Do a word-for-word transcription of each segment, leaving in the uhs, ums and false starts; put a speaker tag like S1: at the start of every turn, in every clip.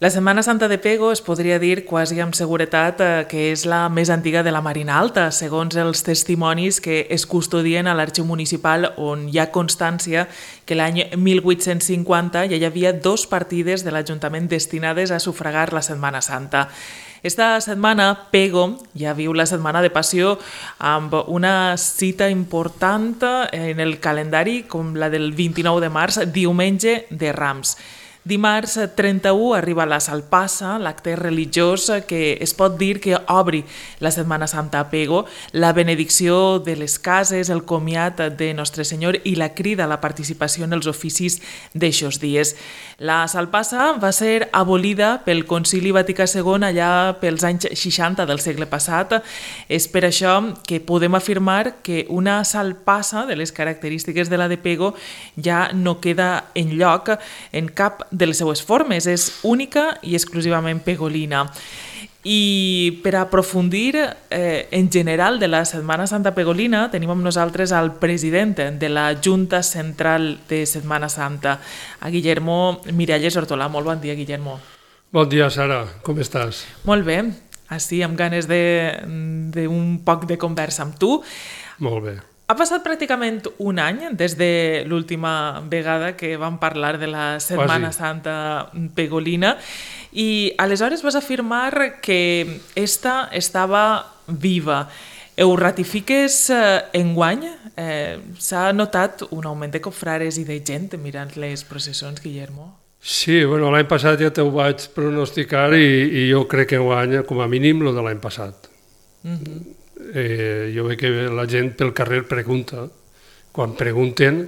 S1: La Setmana Santa de Pego es podria dir quasi amb seguretat que és la més antiga de la Marina Alta, segons els testimonis que es custodien a l'arxiu municipal, on hi ha constància que l'any mil vuit-cents cinquanta ja hi havia dos partides de l'Ajuntament destinades a sufragar la Setmana Santa. Esta setmana, Pego ja viu la Setmana de Passió amb una cita important en el calendari, com la del vint-i-nou de març, diumenge de Rams. Dimarts trenta-u arriba la Salpassa, l'acte religiós que es pot dir que obri la Setmana Santa a Pego, la benedicció de les cases, el comiat de Nostre Senyor i la crida a la participació en els oficis d'eixos dies. La Salpassa va ser abolida pel Concili Vaticà segon allà pels anys seixanta del segle passat. És per això que podem afirmar que una Salpassa de les característiques de la de Pego ja no queda enlloc en cap de les seues formes, és única i exclusivament pegolina. I per aprofundir eh, en general de la Setmana Santa pegolina tenim amb nosaltres al president de la Junta Central de Setmana Santa, a Guillermo Miralles Hortolà. Molt bon dia, Guillermo.
S2: Bon dia, Sara. Com estàs?
S1: Molt bé. Així, amb ganes d'un poc de conversa amb tu.
S2: Molt bé.
S1: Ha passat pràcticament un any des de l'última vegada que vam parlar de la Setmana Quasi. Santa pegolina i aleshores vas afirmar que esta estava viva. Ho ratifiques eh, enguany? Eh, S'ha notat un augment de cofrares i de gent mirant les processons, Guillermo?
S2: Sí, bueno, l'any passat ja t'ho vaig pronosticar i, i jo crec que enguany, com a mínim, el de l'any passat. Mm-hmm. Eh, jo veig que la gent pel carrer pregunta. Quan pregunten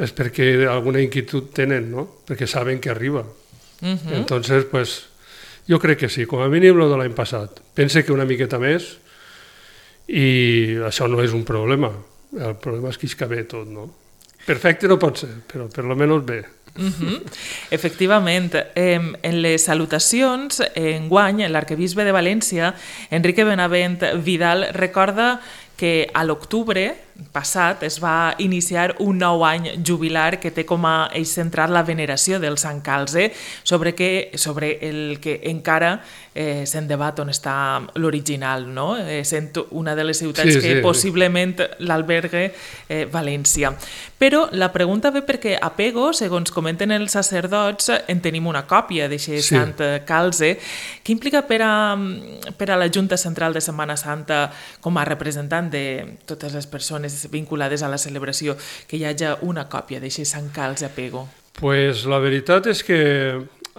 S2: és perquè alguna inquietud tenen, no? Perquè saben que arriba. Uh-huh. Entonces, pues, jo crec que sí, com a mínim el de l'any passat. Pense que una miqueta més i això no és un problema. El problema és que es cabe tot, no? Perfecte no pot ser, però per lo menos bé.
S1: Uh-huh. Efectivament, eh, en les salutacions, enguany, l'arquebisbe de València, Enrique Benavent Vidal, recorda que a l'octubre passat es va iniciar un nou any jubilar que té com a eix central la veneració del Sant Calze, sobre, que, sobre el que encara eh, se'n debat on està l'original, no? Eh, sent una de les ciutats sí, que sí, possiblement sí. l'albergue eh, València. Però la pregunta ve perquè a Pego, segons comenten els sacerdots, en tenim una còpia d'aquest sí. Sant Calze. Què implica per a, per a la Junta Central de Setmana Santa, com a representant de totes les persones vinculades a la celebració, que hi hagi una còpia d'aquest Sant Calze a Pego?
S2: Pues la veritat és que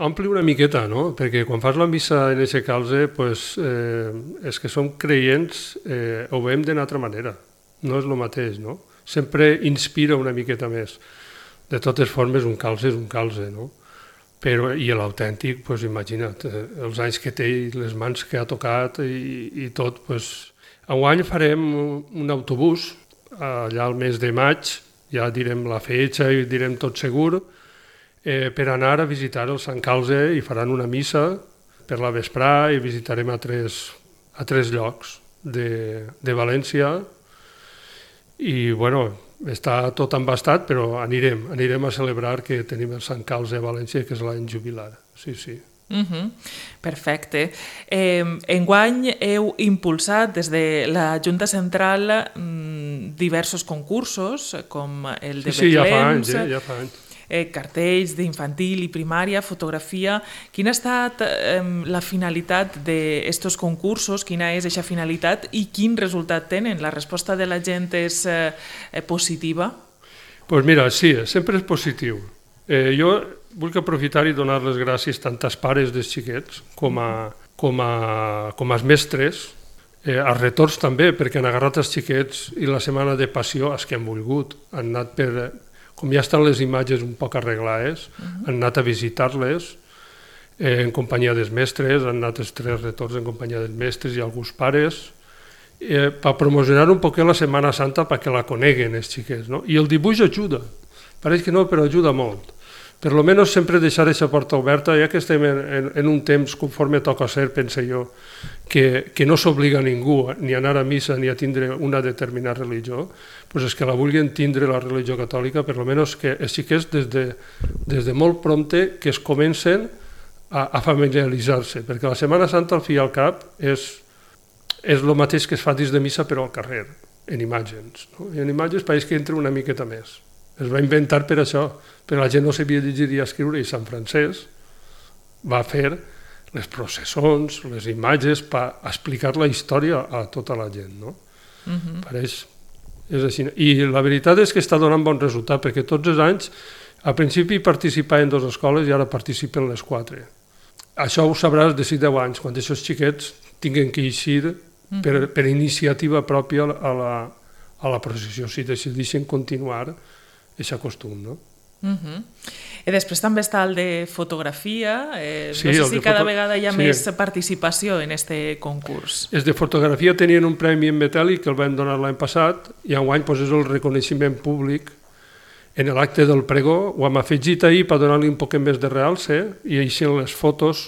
S2: ompli una miqueta, no? Perquè quan fas la missa en aquest calze, pues, eh, és que som creients, eh, ho veiem d'una altra manera. No és el mateix, no? Sempre inspira una miqueta més. De totes formes, un calze és un calze, no? Però, i l'autèntic, pues, imagina't, els anys que té i les mans que ha tocat i, i tot, pues, enguany farem un autobús allà al mes de maig, ja direm la fetge i direm tot segur, eh, per anar a visitar el Sant Calze i faran una missa per la vesprà i visitarem a tres, a tres llocs de, de València i, bueno, està tot embastat, però anirem, anirem a celebrar que tenim el Sant Calze a València, que és l'any jubilar, sí, sí.
S1: Uh-huh. Perfecte. Eh, enguany heu impulsat des de la Junta Central mm, diversos concursos, com el de
S2: sí, sí,
S1: Betlems,
S2: ja fa anys, eh? ja fa anys.
S1: Eh, cartells d'infantil i primària, fotografia. Quina ha estat eh, la finalitat d'aquests concursos? Quina és aquesta finalitat i quin resultat tenen? La resposta de la gent és eh, positiva?
S2: Doncs pues mira, sí, sempre és positiu. Eh, jo vull aprofitar i donar les gràcies tant als pares dels xiquets com a, com a, com als mestres, eh, als retorns també, perquè han agarrat els xiquets i la setmana de passió, els que han volgut, han anat per, com ja estan les imatges un poc arreglades, uh-huh. han anat a visitar-les eh, en companyia dels mestres, han anat els tres retorns en companyia dels mestres i alguns pares, eh, per promocionar un poc la Setmana Santa perquè la coneguen els xiquets, no? I el dibuix ajuda, pareix que no, però ajuda molt. Per lo menos sempre deixar aquesta porta oberta, ja que estem en, en, en un temps conforme toca ser, pense jo, que, que no s'obliga a ningú ni a anar a missa ni a tindre una determinada religió, doncs és que la vulguin tindre la religió catòlica, per lo menos que els xiquets des de, des de molt prompte que es comencen a, a familiaritzar-se, perquè la Setmana Santa, al fi i al cap, és, és el mateix que es fa dins de missa, però al carrer, en imatges. No? I en imatges pareix que entra una miqueta més. Es va inventar per això, però la gent no sabia llegir i escriure, i Sant Francesc va fer les processons, les imatges, per explicar la història a tota la gent. No? Uh-huh. Pareix, és així. I la veritat és que està donant bon resultat, perquè tots els anys, al principi participaven dues escoles i ara participen les quatre. Això ho sabràs de sis a deu anys, quan aquests xiquets tinguin que eixir uh-huh. per, per iniciativa pròpia a la, a la processió, si decideixen continuar aquest costum, no?
S1: Uh-huh. I després també està el de fotografia, eh,
S2: sí,
S1: no sé si cada
S2: foto...
S1: vegada hi ha
S2: sí.
S1: més participació en aquest concurs.
S2: Els de fotografia tenien un premi en metàl·lic que el van donar l'any passat i enguany pues, és el reconeixement públic en l'acte del pregó. Ho hem afegit ahir per donar-li un poc més de realce i així les fotos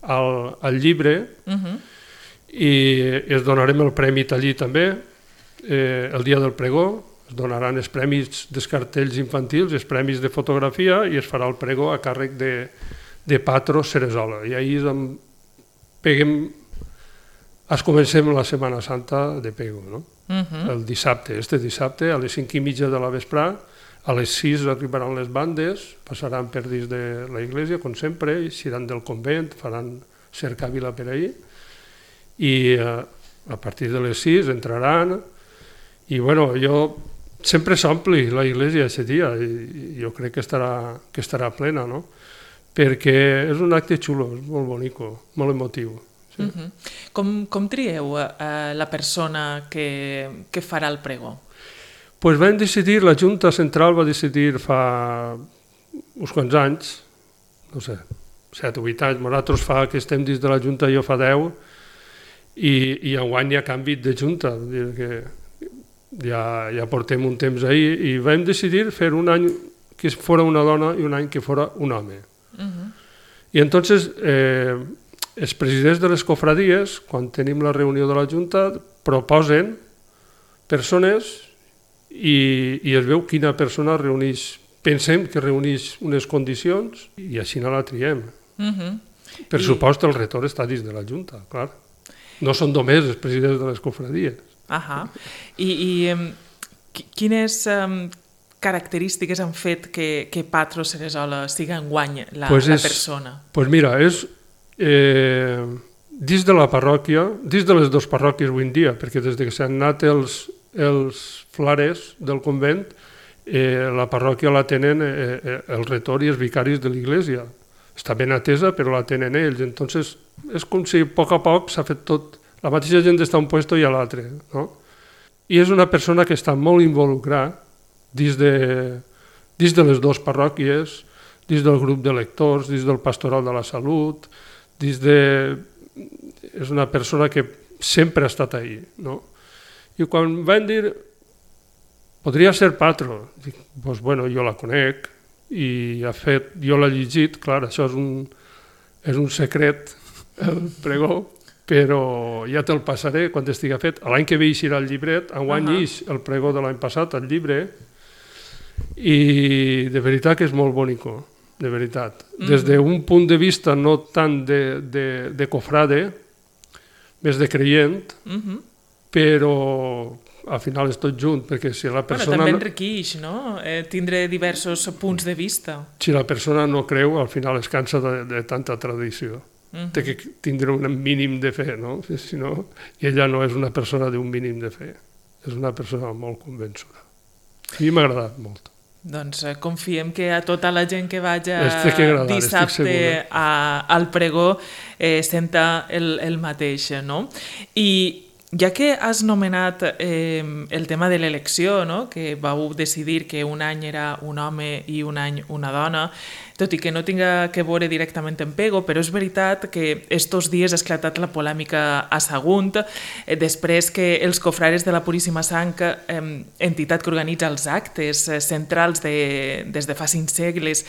S2: al, al llibre uh-huh. i es donarem el premi allí també eh, el dia del pregó. Es donaran els premis dels cartells infantils, els premis de fotografia i es farà el pregó a càrrec de, de Patro Ceresola. I ahir peguem, es comencem la Setmana Santa de Pego, no? Uh-huh. El dissabte, este dissabte, a les cinc i mitja de la vesprà, a les sis arribaran les bandes, passaran per dins de la iglesia, com sempre, iran del convent, faran cercavila per ahir, i a, a partir de les sis entraran, i bueno, jo sempre s'ompli la iglesia aquest dia i jo crec que estarà, que estarà plena, no? Perquè és un acte xulo, és molt bonico, molt emotiu. Sí.
S1: Uh-huh. com, com trieu uh, la persona que, que farà el pregó?
S2: Pues vam decidir, la Junta Central va decidir fa uns quants anys, no sé, set o vuit anys, nosaltres fa que estem dins de la Junta, jo fa deu, i, i enguany hi ha canvi de Junta, vull dir que Ja, ja portem un temps ahir i vam decidir fer un any que fora una dona i un any que fora un home. Uh-huh. I entonces eh, els presidents de les cofradies, quan tenim la reunió de la Junta, proposen persones i, i es veu quina persona reuneix, pensem que reuneix unes condicions i així no la triem. Uh-huh. Per I... supost el retor està dins de la Junta, clar. No són només els presidents de les cofradies.
S1: Ahà. I, i um, quines um, característiques han fet que, que Patro Ceresola siga enguany la,
S2: pues
S1: la
S2: és,
S1: persona?
S2: Doncs pues mira, és eh, dins de la parròquia, dins de les dues parròquies avui en dia, perquè des que s'han anat els, els flares del convent, eh, la parròquia la tenen eh, el retor i els vicaris de l'església. Està ben atesa, però la tenen ells. Entonces, és com si a poc a poc s'ha fet tot. La mateixa gent està a un puesto i a l'altre, no? I és una persona que està molt involucrada dins de, dins de les dues parròquies, dins del grup de lectors, dins del pastoral de la salut, dins de... és una persona que sempre ha estat ahí, no? I quan van dir, podria ser Patro, dic, doncs bueno, jo la conec i ha fet, jo l'he llegit, clar, això és un, és un secret, el pregó, però ja te'l passaré quan estigui fet. L'any que ve eixirà el llibret, enguany uh-huh. ix el pregó de l'any passat, el llibre, i de veritat que és molt bonico, de veritat. Uh-huh. Des d'un punt de vista no tant de, de, de cofrade, més de creient, uh-huh. però al final és tot junt, perquè si la persona...
S1: Bueno, també enriqueix, no? Eh, tindre diversos punts de vista.
S2: Si la persona no creu, al final es cansa de, de tanta tradició. Uh-huh. Té que tindre un mínim de fe, no? Si no, i ella no és una persona d'un mínim de fe, és una persona molt convençuda. A mi m'ha agradat molt.
S1: Doncs eh, confiem que a tota la gent que vaja
S2: que agradar,
S1: dissabte a, al pregó eh, senta el, el mateix, no? I ja que has nomenat eh, el tema de l'elecció, no? Que vau decidir que un any era un home i un any una dona, tot i que no tinga que veure directament en Pego, però és veritat que estos dies ha esclatat la polèmica a Sagunt, eh, després que els cofrares de la Puríssima Sang, eh, entitat que organitza els actes eh, centrals de, des de fa cinc segles,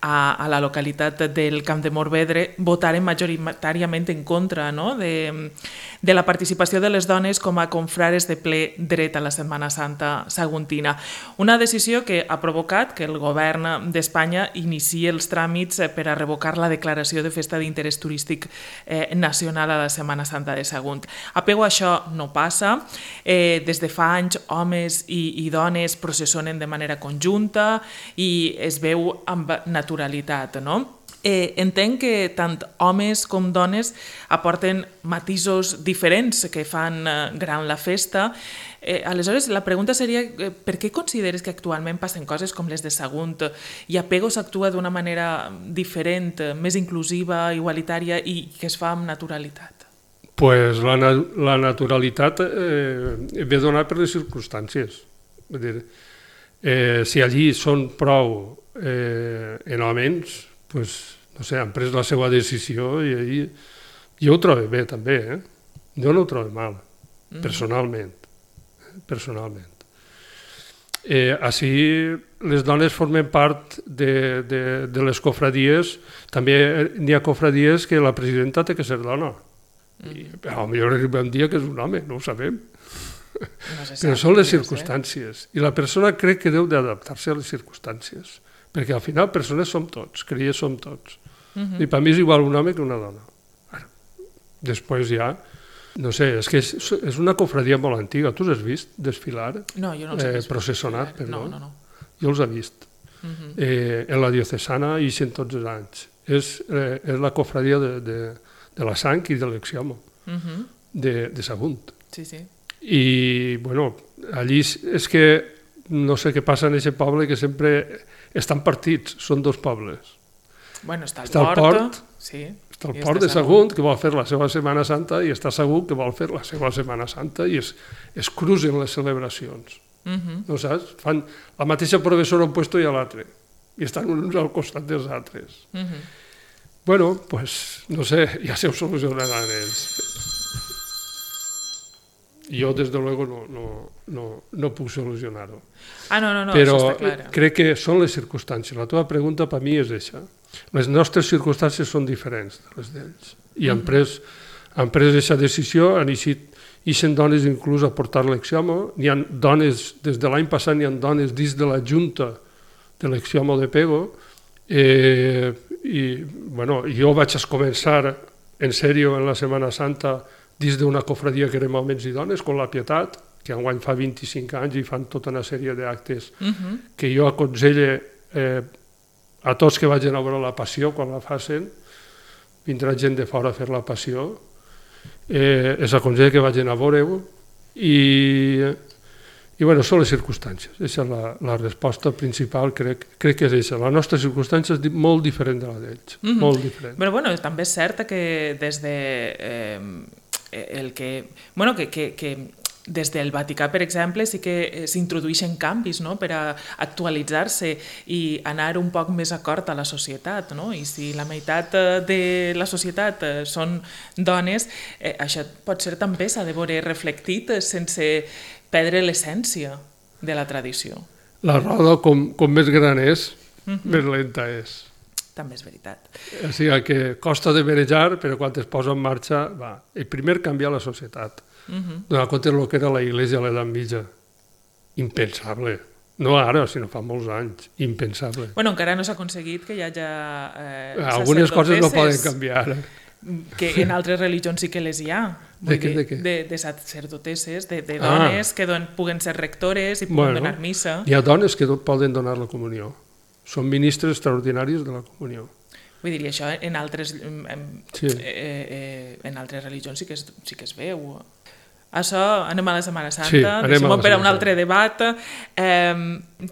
S1: a, a la localitat del Camp de Morvedre votaren majoritàriament en contra, no? de, de la participació de les dones com a confrares de ple dret a la Setmana Santa saguntina. Una decisió que ha provocat que el govern d'Espanya iniciï els tràmits per a revocar la declaració de festa d'interès turístic eh, nacional a la Setmana Santa de Sagunt. A Pego això no passa. Eh, des de fa anys, homes i, i dones processionen de manera conjunta i es veu amb naturalitat, no? Eh, entenc que tant homes com dones aporten matisos diferents que fan eh, gran la festa. Eh, aleshores, la pregunta seria eh, per què consideres que actualment passen coses com les de Sagunt i a Pego s'actua d'una manera diferent, més inclusiva, igualitària i que es fa amb naturalitat?
S2: Pues la, la naturalitat eh, ve donada per les circumstàncies. Vull dir, eh, si allí són prou eh, en homes, pues, no sé, han pres la seva decisió i allí, jo ho trobo bé també, eh? Jo no ho trobo mal, personalment. personalment. Eh, així les dones formen part de, de, de les cofradies, també n'hi ha cofradies que la presidenta té que ser dona. I, a millor arriba un dia que és un home, no ho sabem. No se però són les circumstàncies. I la persona crec que deu d'adaptar-se a les circumstàncies. Perquè al final persones som tots, creies som tots. Uh -huh. I per mi és igual un home que una dona. Bueno, després ja, no sé, és que és, és una cofradia molt antiga. Tu els has vist desfilar?
S1: No, jo no els he vist.
S2: Eh, processonat, perdó.
S1: No, no, no.
S2: Jo els he vist. Uh -huh. eh, en la diocesana i en tots els anys. És, eh, és la cofradia de... de de la sang i de l'exiomo, uh-huh. de, de Sagunt.
S1: Sí, sí.
S2: I, bueno, allí és que no sé què passa en aquest poble, que sempre estan partits, són dos pobles.
S1: Bueno, està el
S2: està
S1: port,
S2: el port
S1: sí.
S2: Està el port de Sagunt, que vol fer la seva Setmana Santa, i està Sagunt, que vol fer la seva Setmana Santa, i es, es cruzen les celebracions. Uh-huh. No saps? Fan la mateixa professora a un puesto i a l'altre, i estan uns al costat dels altres. Uh-huh. Bueno, pues, no sé, ja se ho solucionaran ells. Jo, des de luego, no, no, no, no puc solucionar-ho.
S1: Ah, no, no, no,
S2: però
S1: això està clar.
S2: Crec que són les circumstàncies. La teva pregunta per mi és això. Les nostres circumstàncies són diferents de les d'ells. I han pres, han pres aquesta decisió, han eixit i sent dones inclús a portar l'exiomo. N'hi ha dones, des de l'any passat n'hi ha dones dins de la Junta de l'exiomo de Pego. Eh, i bueno, jo vaig començar en sèrio en la Setmana Santa dins d'una cofradia que érem homes i dones, com la Pietat, que enguany fa vint-i-cinc anys i fan tota una sèrie d'actes uh-huh. que jo aconselle eh, a tots que vagin a veure la Passió quan la facin, vindrà gent de fora a fer la Passió, eh, els aconselle que vagin a veure-ho i... I bueno, són les circumstàncies. Aquesta és la, la resposta principal, crec, crec que és aquesta. La nostra circumstància és molt diferent de la d'ells, mm-hmm. molt diferent.
S1: Però bueno, també és cert que des de eh, el que... Bueno, que, que, que des del Vaticà, per exemple, sí que s'introdueixen canvis, no?, per a actualitzar-se i anar un poc més acord a la societat, no? I si la meitat de la societat són dones, eh, això pot ser també s'ha de veure reflectit sense perdre l'essència de la tradició.
S2: La roda, com, com més gran és, uh-huh. més lenta és.
S1: També és veritat.
S2: O sigui que costa de manejar, però quan es posa en marxa, va. El primer canviar la societat. Uh-huh. Donar compte del que era la Iglesia a l'edat mitja. Impensable. No ara, sinó fa molts anys. Impensable.
S1: Bueno, encara no s'ha aconseguit que hi hagi eh,
S2: algunes coses no poden canviar.
S1: Que en altres religions sí que les hi ha.
S2: De què? De, què?
S1: de, de sacerdotesses, de, de dones ah. que don, puguen ser rectores i puguen bueno, donar missa.
S2: Hi ha dones que poden donar la comunió. Són ministres extraordinaris de la comunió.
S1: Vull dir, això en altres,
S2: sí.
S1: eh, eh, en altres religions sí que es, sí que es veu. Això, anem a la Setmana Santa,
S2: sí,
S1: deixem-ho per a un altre debat. Eh,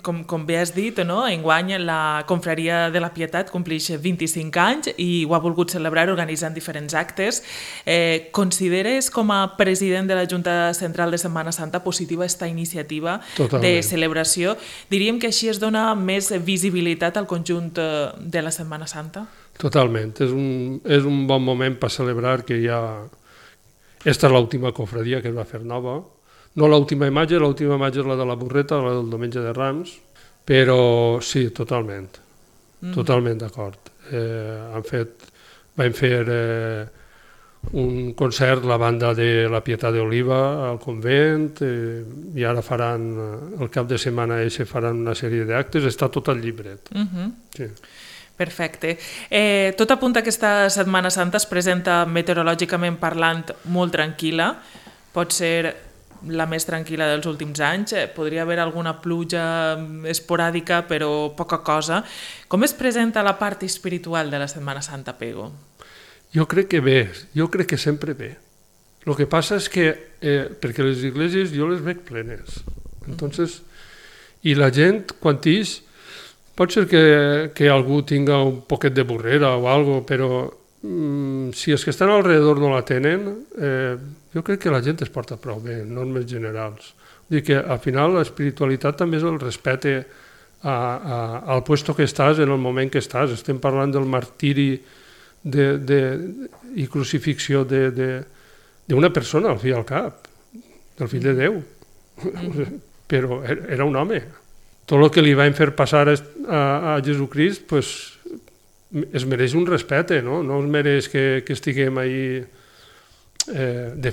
S1: com, com bé has dit, no? Enguany la Confraria de la Pietat compleix vint-i-cinc anys i ho ha volgut celebrar organitzant diferents actes. Eh, consideres com a president de la Junta Central de Setmana Santa positiva aquesta iniciativa Totalment. De celebració? Diríem que així es dona més visibilitat al conjunt de la Setmana Santa?
S2: Totalment. És un, és un bon moment per celebrar que hi ha... Esta és l'última cofradia que es va fer nova. No l'última imatge, l'última imatge és la de la Burreta, la del Diumenge de Rams, però sí, totalment. mm. totalment d'acord. Eh, han fet, vam fer eh, un concert, la banda de la Pietat d'Oliva al convent, eh, i ara faran, el cap de setmana eixe faran una sèrie d'actes, està tot al llibret.
S1: Mm-hmm.
S2: Sí.
S1: Perfecte. Eh, tot apunta que aquesta Setmana Santa es presenta meteorològicament parlant molt tranquil·la, pot ser la més tranquil·la dels últims anys, podria haver alguna pluja esporàdica però poca cosa. Com es presenta la part espiritual de la Setmana Santa, Pego?
S2: Jo crec que bé, jo crec que sempre bé. El que passa és que, eh, perquè les iglesias jo les veig plenes, entonces, i la gent, quan ix, pot ser que, que algú tinga un poquet de burrera o algo, però mm, si els que estan alrededor no la tenen, eh, jo crec que la gent es porta prou bé, en normes generals. Vull dir que al final l'espiritualitat també és el respecte a, a, al puesto que estàs en el moment que estàs. Estem parlant del martiri de, de, i crucifixió d'una persona, al fi i al cap, del fill de Déu. Mm. Però era un home. Tot el que li van fer passar a, a Jesucrist pues, es mereix un respecte, no? No es mereix que, que estiguem ahí eh, de,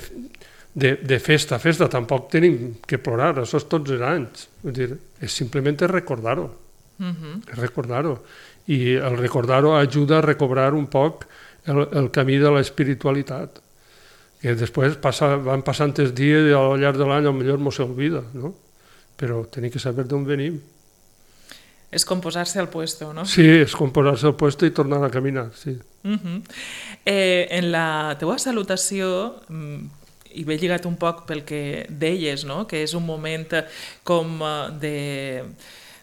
S2: de, de festa a festa. Tampoc tenim que plorar, això és tots els anys. Vull dir, és simplement recordar-ho. Uh-huh. Recordar-ho. I el recordar-ho ajuda a recobrar un poc el, el camí de l'espiritualitat. Que després passa, van passant els dies i al llarg de l'any potser mos s'oblida, no? Però tenim que saber d'on venim.
S1: És composar-se al puesto, no?
S2: Sí, és composar-se al puesto i tornar a caminar, sí.
S1: Uh-huh. eh, en la teua salutació, i ve lligat un poc pel que deies, no? Que és un moment com de,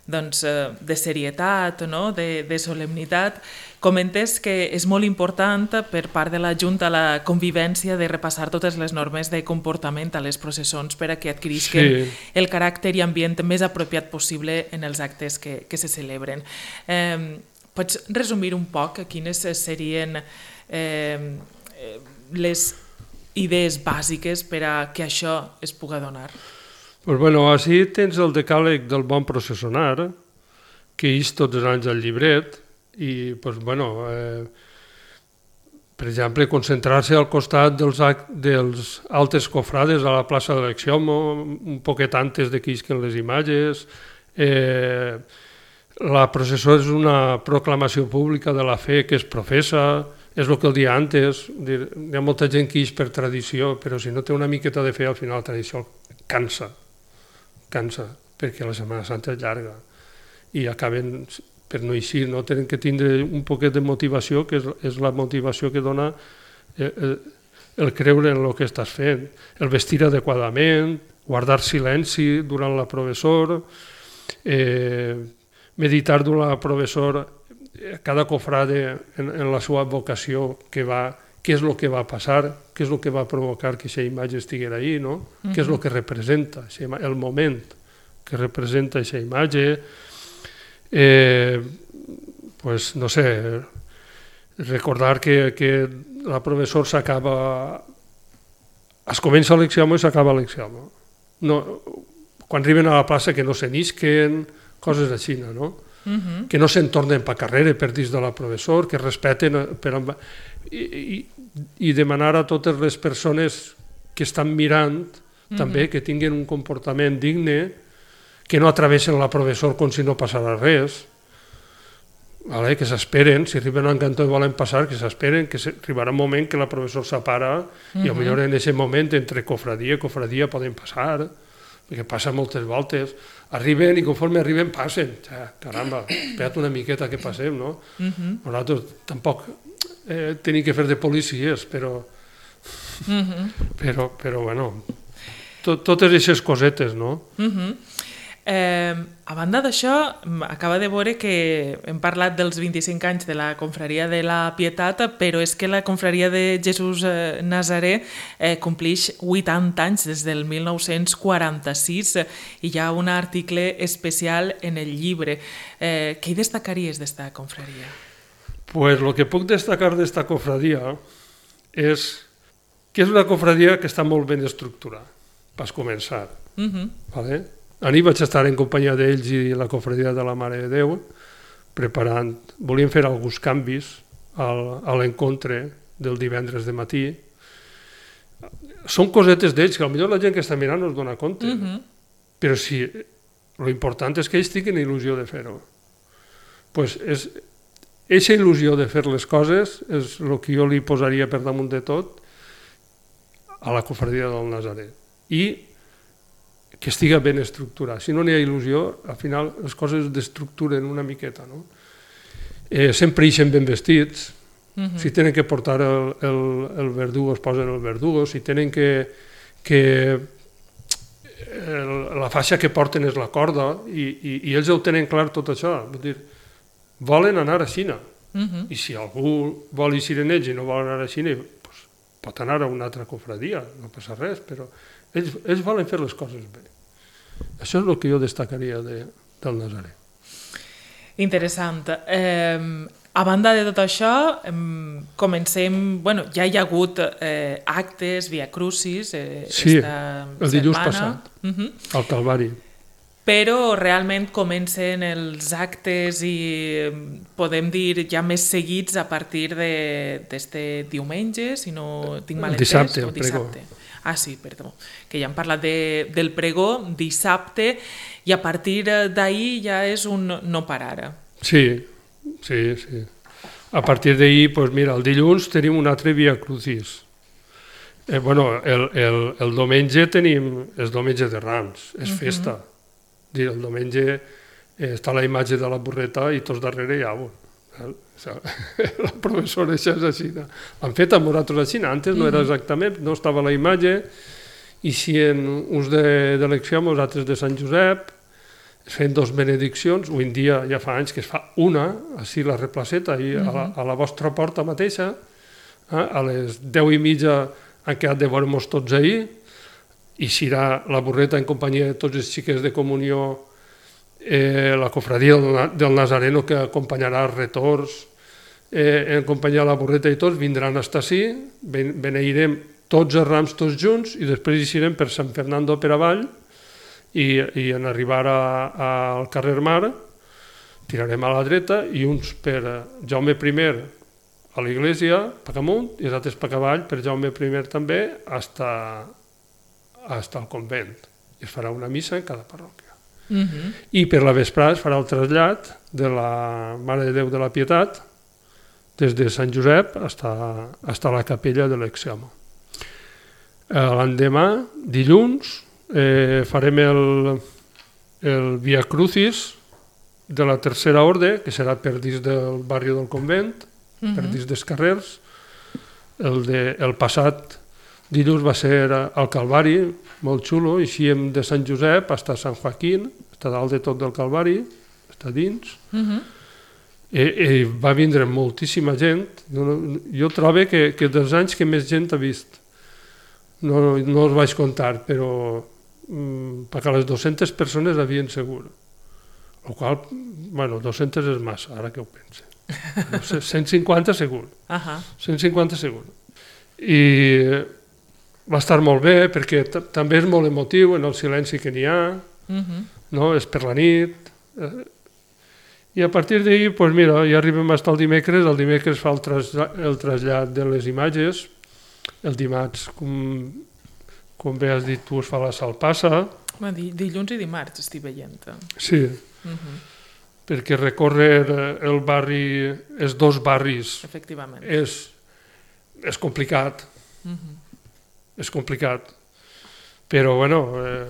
S1: doncs, de serietat, no? de, de solemnitat. Comentes que és molt important per part de la Junta la convivència de repassar totes les normes de comportament a les processons per a que adquirisquen sí. el caràcter i ambient més apropiat possible en els actes que, que se celebren. Eh, pots resumir un poc quines serien eh, les idees bàsiques per a que això es pugui donar?
S2: Pues bueno, així tens el decàleg del bon processonar, que és tots els anys al llibret, i, pues, bueno, eh, per exemple, concentrar-se al costat dels, dels altes cofrades a la plaça de l'Exiomo, un poquet antes de que isquen les imatges. Eh, la processó és una proclamació pública de la fe que es professa, és el que el dia antes. Dir, hi ha molta gent que ix per tradició, però si no té una miqueta de fe, al final la tradició cansa, cansa, perquè la Setmana Santa és llarga i acaben... per no eixir, no? Tenen que tindre un poquet de motivació, que és, és la motivació que dona el, el creure en el que estàs fent, el vestir adequadament, guardar silenci durant la professor, eh, meditar durant la professor, cada cofrade en, en la seva vocació, que va, què és el que va passar, què és el que va provocar que aquesta imatge estiguera ahí, no? Uh-huh. Què és el que representa, el moment que representa aquesta imatge. Eh, pues no sé, recordar que, que la professor s'acaba, es comença l'examen i s'acaba l'examen. No, quan arriben a la plaça que no se n'isquen, coses així, no? Uh-huh. Que no se'n tornen per carrera per dins de la professor, que respeten per, i, i, i demanar a totes les persones que estan mirant uh-huh. també que tinguin un comportament digne, que no atravessen la professor com si no passara res, vale? Que s'esperen, si arriben a un cantó i volen passar, que s'esperen, que arribarà un moment que la professor s'apara uh-huh. i potser en aquest moment entre cofradia i cofradia poden passar, perquè passa moltes voltes, arriben i conforme arriben passen, ja, caramba, espera't una miqueta que passem, no? Uh-huh. Nosaltres tampoc eh, tenim que fer de policies, però, uh-huh. però, però bueno, tot, totes aquestes cosetes, no?
S1: Uh-huh. Eh, a banda d'això, acaba de veure que hem parlat dels vint-i-cinc anys de la Confraria de la Pietat, però és que la Confraria de Jesús eh, Nazaré eh, complix vuitanta anys des del mil nou-cents quaranta-sis i hi ha un article especial en el llibre. Eh, què hi destacaries d'esta confraria?
S2: Pues lo que puc destacar d'esta confraria és que és una confraria que està molt ben estructurada, per començar. Uh-huh. Vale? Ahir vaig estar en companyia d'ells i la confraria de la Mare de Déu, preparant, volíem fer alguns canvis al, a l'encontre del divendres de matí. Són cosetes d'ells que potser la gent que està mirant no es dona compte, uh-huh. però sí, l'important és que ells tinguin il·lusió de fer-ho. Pues és, eixa il·lusió de fer les coses és el que jo li posaria per damunt de tot a la cofradia del Nazaret. I que estiga ben estructurat. Si no n'hi ha il·lusió, al final les coses es destructuren una miqueta. No? Eh, sempre ixen ben vestits. Uh-huh. Si tenen que portar el, el, el verdugo, es posen el verdugo. Si tenen que... que el, la faixa que porten és la corda i, i, i ells ho tenen clar tot això. Vull dir, volen anar a Xina. Uh-huh. I si algú vol eixir en ells i no vol anar a Xina, pues, pot anar a una altra cofradia, no passa res, però ells, ells volen fer les coses bé. Això és el que jo destacaria de, del Nazaret.
S1: Interessant. Eh, a banda de tot això, eh, comencem... Bueno, ja hi ha hagut eh, actes, via crucis... Eh,
S2: sí,
S1: esta
S2: el dilluns
S1: setmana.
S2: passat,
S1: uh-huh.
S2: al Calvari.
S1: Però realment comencen els actes i podem dir ja més seguits a partir d'este diumenge, si no tinc mal entès.
S2: Dissabte, el
S1: dissabte.
S2: pregó.
S1: Ah, sí, perdó, que ja hem parlat de, del pregó dissabte i a partir d'ahir ja és un no parar.
S2: Sí, sí, sí. A partir d'ahir, pues mira, el dilluns tenim un altre Via Crucis. Eh, bueno, el, el, el diumenge tenim, és diumenge de Rams, és uh-huh. festa. Dir, el diumenge eh, està la imatge de la burreta i tots darrere hi ha un. La professora això és així. L'han fet amb nosaltres així, antes no era exactament, no estava la imatge, i si en uns d'elecció amb nosaltres de Sant Josep es feien dos benediccions, avui en dia ja fa anys que es fa una, així la replaceta, i a la, a la vostra porta mateixa, eh, a les deu i mitja han quedat de veure-nos tots ahir, i serà la burreta en companyia de tots els xiquets de comunió, Eh, la cofradia del Nazareno que acompanyarà els retorns, eh, en companyia de la burreta i tots, vindran a estar així, ben, beneirem tots els rams tots junts i després eixirem per Sant Fernando per avall i, i en arribar a, a, al carrer Mar tirarem a la dreta i uns per Jaume I a l'església, per amunt, i els altres per avall, per Jaume I també, hasta, hasta el convent. I es farà una missa en cada parròquia. Uh-huh. I per la vesprada es farà el trasllat de la Mare de Déu de la Pietat des de Sant Josep fins a la capella de l'Exeamo. L'endemà, dilluns, eh, farem el, el Via Crucis de la Tercera Orde, que serà per dins del barri del convent, uh-huh. per dins dels carrers. El, de, el passat dilluns va ser al Calvari, molt xulo, eixíem de Sant Josep fins a Sant Joaquín, està dalt de tot del Calvari, està dins. Uh-huh. I, I va vindre moltíssima gent. Jo, jo trobo que, que dels anys que més gent ha vist. No, no els vaig comptar, però mm, perquè les dues-centes persones havien segur. El qual, bueno, dues-centes és massa, ara que ho pense. cent cinquanta segur. Uh-huh. cent cinquanta segur. I va estar molt bé perquè també és molt emotiu en el silenci que n'hi ha, uh-huh. no? És per la nit. I a partir d'ahir, pues mira, ja arribem fins al dimecres, el dimecres fa el, traslla el trasllat de les imatges, el dimarts, com, com bé has dit tu, es fa la salpassa.
S1: Dilluns i dimarts estic veient.
S2: Sí, uh-huh. perquè recórrer el barri, els dos barris,
S1: efectivament,
S2: és, és complicat.
S1: Uh-huh.
S2: És complicat, però bueno, eh,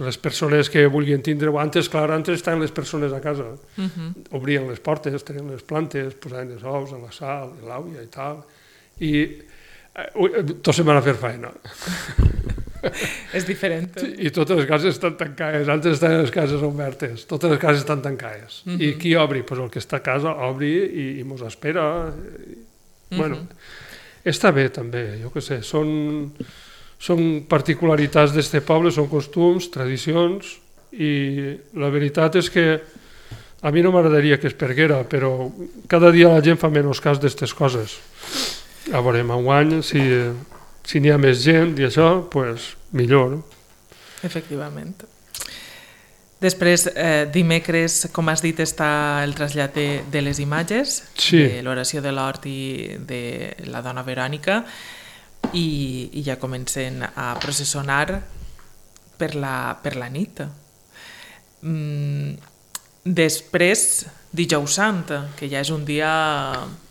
S2: les persones que vulguin tindre, antes, clar, antes estaven les persones a casa, uh-huh. obrien les portes, tenien les plantes, posaven els ous a la sal, l'àvia i tal, i eh, tots se van a fer feina.
S1: És diferent.
S2: I totes les cases estan tancades, antes estaven les cases obertes, totes les cases estan tancades. Uh-huh. I qui obri? Pues el que està a casa obri i, i mos espera. I, uh-huh. Bueno, està bé també, jo què sé, són, són particularitats d'este poble, són costums, tradicions, i la veritat és que a mi no m'agradaria que es perguera, però cada dia la gent fa menys cas d'estes coses. A veure, enguany, si, si n'hi ha més gent i això, doncs millor. Efectivament.
S1: Efectivament. Després, eh, dimecres, com has dit, està el trasllat de, de les imatges,
S2: sí.
S1: de l'oració de l'hort i de la dona Verònica, i, i ja comencen a processionar per la, per la nit. Mm, després, dijous sant, que ja és un dia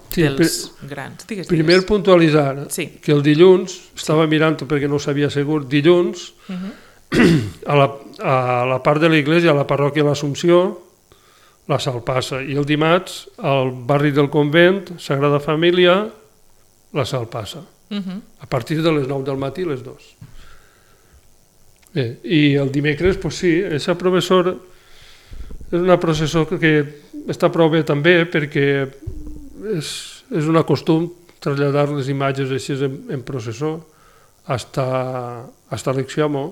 S2: sí,
S1: dels
S2: per,
S1: grans. Digues,
S2: primer
S1: digues.
S2: puntualitzar
S1: sí.
S2: que el dilluns, estava mirant perquè no ho sabia segur, dilluns, uh-huh. a, la, a la part de l'església, a la parròquia de l'Assumpció, la Sal passa, i el dimarts, al barri del convent, Sagrada Família, la Sal passa. Uh-huh. A partir de les nou del matí, les dues. Bé, i el dimecres, pues sí, aquesta professora és una processó que està prou bé també perquè és, és un costum traslladar les imatges així en, en processó hasta, hasta l'Exiomo,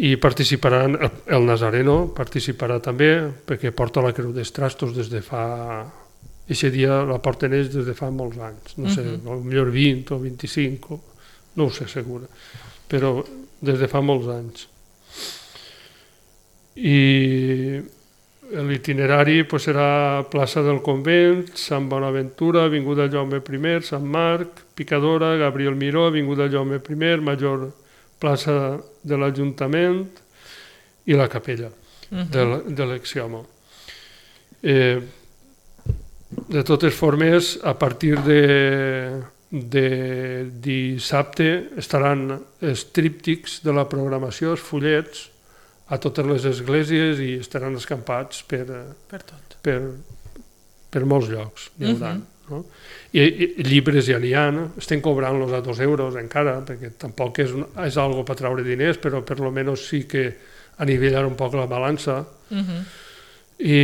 S2: i participaran, el, el Nazareno participarà també perquè porta la creu dels trastos des de fa... Eixe dia la porten ells des de fa molts anys, no sé, uh-huh. millor vint o vint-i-cinc, o, no ho sé segur, però des de fa molts anys. I l'itinerari pues, serà plaça del Convent, Sant Bonaventura, Avinguda Jaume I, Sant Marc, Picadora, Gabriel Miró, Avinguda Jaume I, Major, plaça de l'Ajuntament i la capella uh-huh. de l'Exiomo. Eh, de totes formes, a partir de, de dissabte estaran els tríptics de la programació, els fullets, a totes les esglésies i estaran escampats per,
S1: per, tot.
S2: per, per molts llocs. Uh-huh. No? I, I llibres ja n'hi ha, estem cobrant-los a dos euros encara, perquè tampoc és, un, és algo per treure diners, però per lo menos sí que anivellar un poc la balança. Uh-huh. I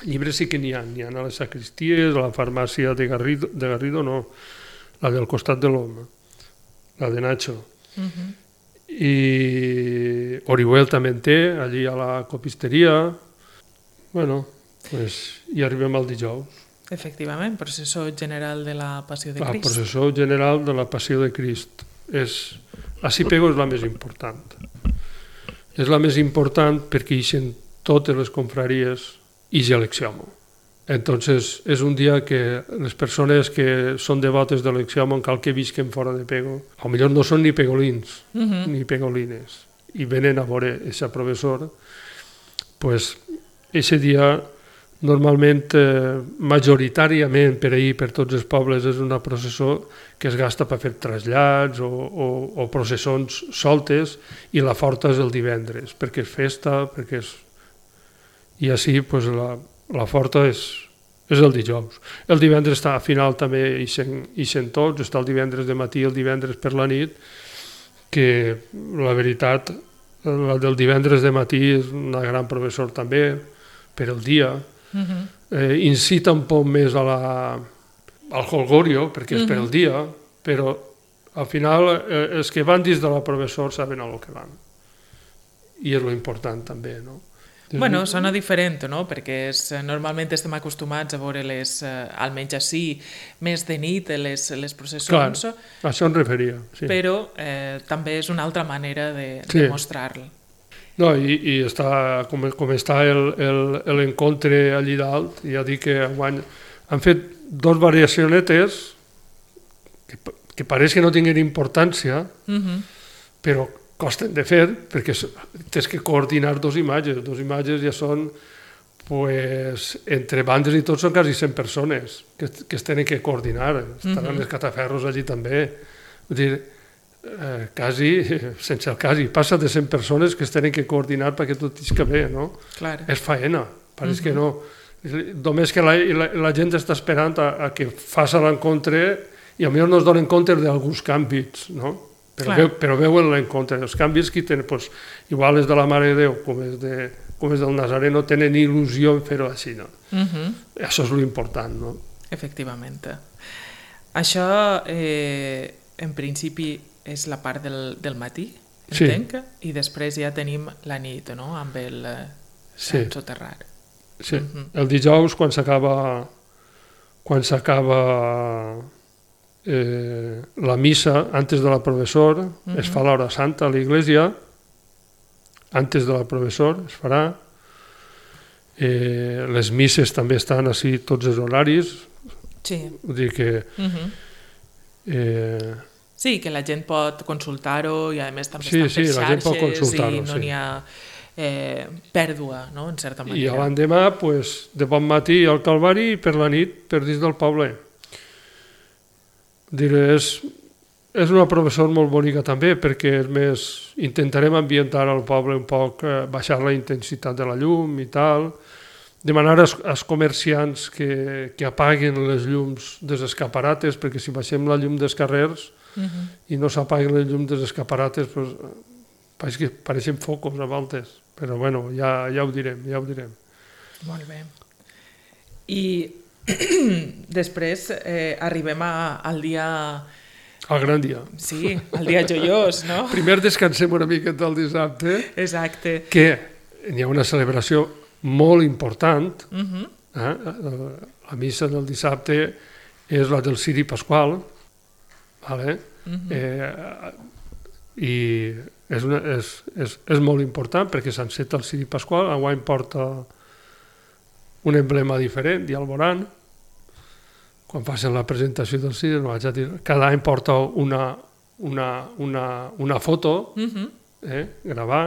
S2: llibres sí que n'hi ha, n'hi ha a les sacristies, a la farmàcia de Garrido, de Garrido no, la del costat de l'home, la de Nacho. Uh-huh. I Orihuel també en té, allí a la copisteria. Bueno, pues, i arribem al dijous.
S1: Efectivament, processó general de la Passió de Crist.
S2: La processó general de la Passió de Crist. És, la Cipego és la més important. És la més important perquè hi eixen totes les confraries i l'Exiomo. Entonces, és un dia que les persones que són devotes de l'Exiomo, en cal que visquen fora de Pego, a lo millor no són ni pegolins, uh-huh. ni pegolines, i venen a veure aquesta professora, pues, aquest dia, normalment, eh, majoritàriament per ahir, per tots els pobles, és una processó que es gasta per fer trasllats o, o, o processons soltes, i la forta és el divendres, perquè és festa, perquè és... I així pues, la, la forta és, és el dijous. El divendres està a final també ixen tots, està el divendres de matí i el divendres per la nit, que la veritat, la del divendres de matí és una gran professor també, per el dia, uh-huh. eh, incita un poc més a la, al holgorio, perquè és uh-huh. per el dia, però al final eh, els que van dins de la professor saben a lo que van. I és lo important també, no?
S1: Bueno, sona diferent, no? Perquè és, normalment estem acostumats a veure les, eh, almenys així, més de nit, les, les processons.
S2: Clar, a això em referia. Sí.
S1: Però eh, també és una altra manera de,
S2: sí.
S1: de mostrar-lo.
S2: No, i, i està, com, com està l'encontre allí dalt, ja dic que enguany han fet dos variacionetes que, que pareix que no tinguin importància, uh-huh. però costen de fer, perquè tens que coordinar dos imatges. Dos imatges ja són, pues, entre bandes i tot són quasi cent persones que, que es tenen que coordinar. Estaran uh-huh. els cataferros allí també. Vull dir, eh, quasi, sense el quasi, passa de cent persones que es tenen que coordinar perquè tot isca bé, no?
S1: Clar.
S2: És faena, pareix uh-huh. que no. Només que la, la, la gent està esperant a, a que faci l'encontre i potser no es donen compte d'alguns canvis, no? Però, veu, però veuen l'encontre. Els canvis que tenen, pues, igual és de la Mare de Déu com és, de, com és del Nazareno, tenen il·lusió en fer-ho així, no? Uh-huh. Això és l'important, no?
S1: Efectivament. Això, eh, en principi, és la part del, del matí, entenc, sí. I després ja tenim la nit, no?, amb el Sant sí. Soterrar.
S2: Sí, uh-huh. El dijous, quan s'acaba quan s'acaba Eh, la missa antes de la professor, uh-huh. es fa l'hora santa a l'església, antes de la professor es farà. Eh, les misses també estan així tots els horaris.
S1: Sí.
S2: Vull dir que...
S1: Uh-huh.
S2: eh,
S1: Sí, que la gent pot consultar-ho i a més també
S2: sí,
S1: estan
S2: sí,
S1: per
S2: la gent pot
S1: xarxes
S2: consultar-ho,
S1: i no
S2: sí.
S1: n'hi ha eh, pèrdua, no?, en certa
S2: I
S1: manera.
S2: l'endemà, pues, de bon matí al Calvari i per la nit per dins del poble. Diré, és, és una professor molt bonica també perquè és més, intentarem ambientar al poble un poc, eh, baixar la intensitat de la llum i tal, demanar als, als comerciants que, que apaguen les llums dels escaparates, perquè si baixem la llum dels carrers uh-huh. i no s'apaguen les llums dels escaparates, pues, pareix que pareixen focos a voltes, però bueno, ja, ja ho direm, ja ho direm.
S1: Molt bé. I després eh, arribem a, al dia...
S2: Al gran dia.
S1: Sí, al dia joiós, no?
S2: Primer descansem una miqueta el dissabte,
S1: Exacte.
S2: que hi ha una celebració molt important.
S1: Uh-huh.
S2: eh? La missa del dissabte és la del Ciri Pasqual, vale? Uh-huh. eh, i és, una, és, és, és molt important perquè s'enceta el Ciri Pasqual, enguany porta un emblema diferent, ja el veuran. Quan facin la presentació del Ciri, no vaig a dir, cada any porta una, una, una, una foto, uh-huh. eh, gravar.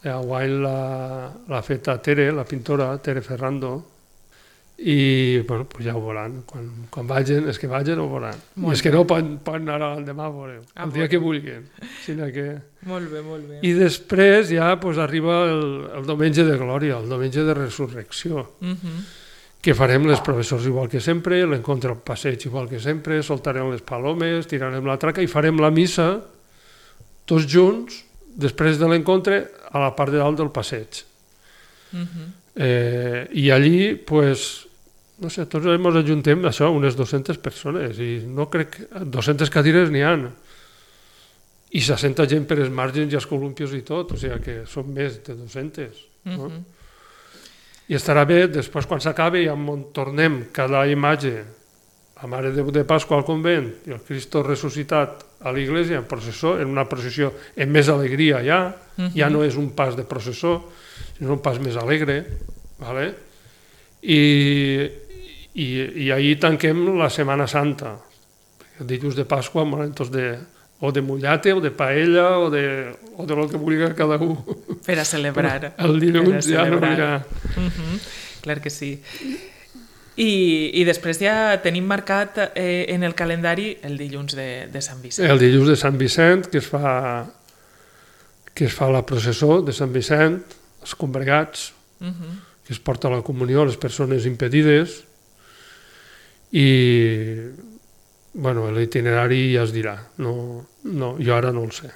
S2: Enguany l'ha feta Tere, la pintora, Tere Ferrando, i bueno, pues ja ho veuran. Quan, quan vagin, és que vagin ho veuran. Molt I és que no poden, poden anar l'endemà a veure, ah, el dia que vulguin. Sinó que...
S1: Molt bé, molt bé.
S2: I després ja pues, arriba el, el diumenge de glòria, el diumenge de resurrecció, uh-huh. que farem les professors igual que sempre, l'encontre al passeig igual que sempre, soltarem les palomes, tirarem la traca i farem la missa tots junts, després de l'encontre, a la part de dalt del passeig. Uh-huh. eh, I allí, pues, no sé, tots ens ajuntem això, unes dues-centes persones, i no crec que dues-centes cadires n'hi ha. I s'assenta gent per els marges i els columpios i tot, o sigui que són més de dues-centes. No? Uh-huh. I estarà bé, després quan s'acabi, ja tornem cada imatge, la Mare de Déu de Pasqua al convent i el Cristo ressuscitat a l'església en processó, en una processió amb més alegria ja, uh-huh. ja no és un pas de processó, sinó un pas més alegre, ¿vale? I, i, i ahir tanquem la Setmana Santa, el dilluns de Pasqua, momentos de, o de mullate, o de paella, o de, o de lo que vulgui cada un.
S1: Per a celebrar.
S2: El dilluns ja no hi ha...
S1: Uh-huh. Clar que sí. I, i després ja tenim marcat eh, en el calendari el dilluns de, de Sant Vicent.
S2: El dilluns de Sant Vicent, que es fa, que es fa la processó de Sant Vicent, els congregats, uh-huh. que es porta la comunió a les persones impedides, i bueno, l'itinerari ja es dirà, no, no, jo ara no el sé,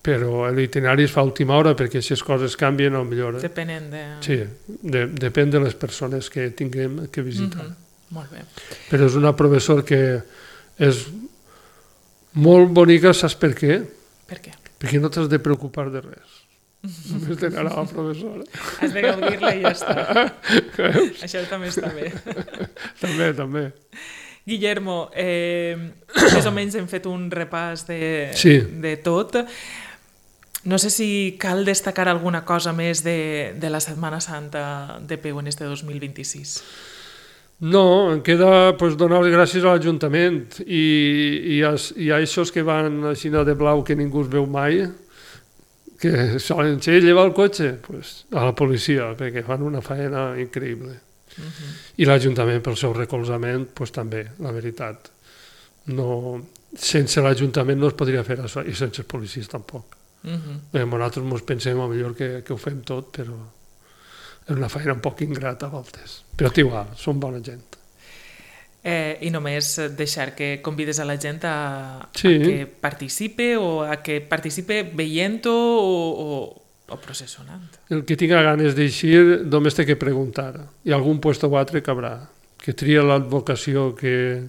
S2: però l'itinerari es fa a última hora perquè si les coses canvien, al millor... Eh?
S1: Depenent de...
S2: Sí, de, depèn de les persones que tinguem que visitar.
S1: Mm-hmm. Molt bé.
S2: Però és una professor que és molt bonica, saps per què?
S1: Per què?
S2: Perquè no t'has de preocupar de res. Només d'anar a la professora.
S1: Has de gaudir-la i ja està.
S2: Veus?
S1: Això també està bé.
S2: També, també.
S1: Guillermo, eh, més o menys hem fet un repàs de,
S2: sí.
S1: de tot. No sé si cal destacar alguna cosa més de, de la Setmana Santa de Peu en este dos mil vint-i-sis.
S2: No, em queda pues, donar les gràcies a l'Ajuntament i, i, a, i a aquests que van així de blau que ningú es veu mai, que solen ser llevar el cotxe, pues, a la policia, perquè fan una feina increïble. Uh-huh. I l'Ajuntament pel seu recolzament, pues, també, la veritat. No, sense l'Ajuntament no es podria fer això, i sense els policies tampoc. Uh-huh. Bé, nosaltres ens pensem a millor que, que ho fem tot, però és una feina un poc ingrata a voltes. Però igual, són bona gent.
S1: Eh, I només deixar que convides a la gent a,
S2: sí.
S1: a que participe o a que participe veient-ho o, o, o processonant.
S2: El que tinga ganes d'eixir només té que preguntar. I algun puesto o altre cabrà. Que tria l'advocació que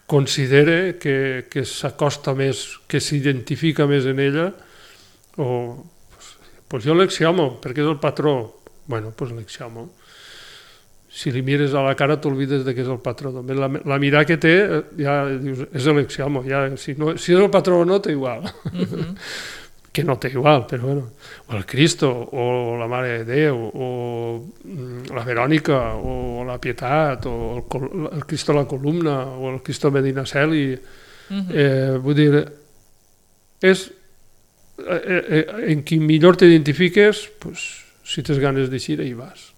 S2: considere que, que s'acosta més, que s'identifica més en ella, o pues, pues jo l'exiomo, perquè és el patró. Bueno, pues l'exiomo. Si li mires a la cara t'olvides de que és el patró. La, la mirada que té ja dius, és l'exiomo. Ja, si, no, si és el patró o no, té igual. Uh-huh. que no té igual, però bueno, o el Cristo, o la Mare de Déu, o la Verònica, o la Pietat, o el, el Cristo a la columna, o el Cristo Medinaceli, uh-huh. eh, vull dir, és eh, eh, en qui millor t'identifiques, pues, si tens ganes d'eixir, hi vas.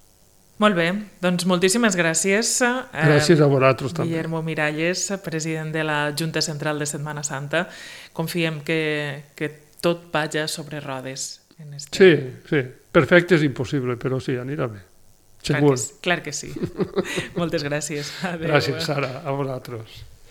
S1: Molt bé, doncs moltíssimes gràcies.
S2: Gràcies a vosaltres també.
S1: Guillermo Miralles, president de la Junta Central de Setmana Santa. Confiem que, que tot vaja sobre rodes. En este...
S2: Sí, sí. Perfecte és impossible, però sí, anirà bé. Segur.
S1: Clar que, clar que sí. Moltes gràcies. Adéu.
S2: Gràcies, Sara, a vosaltres.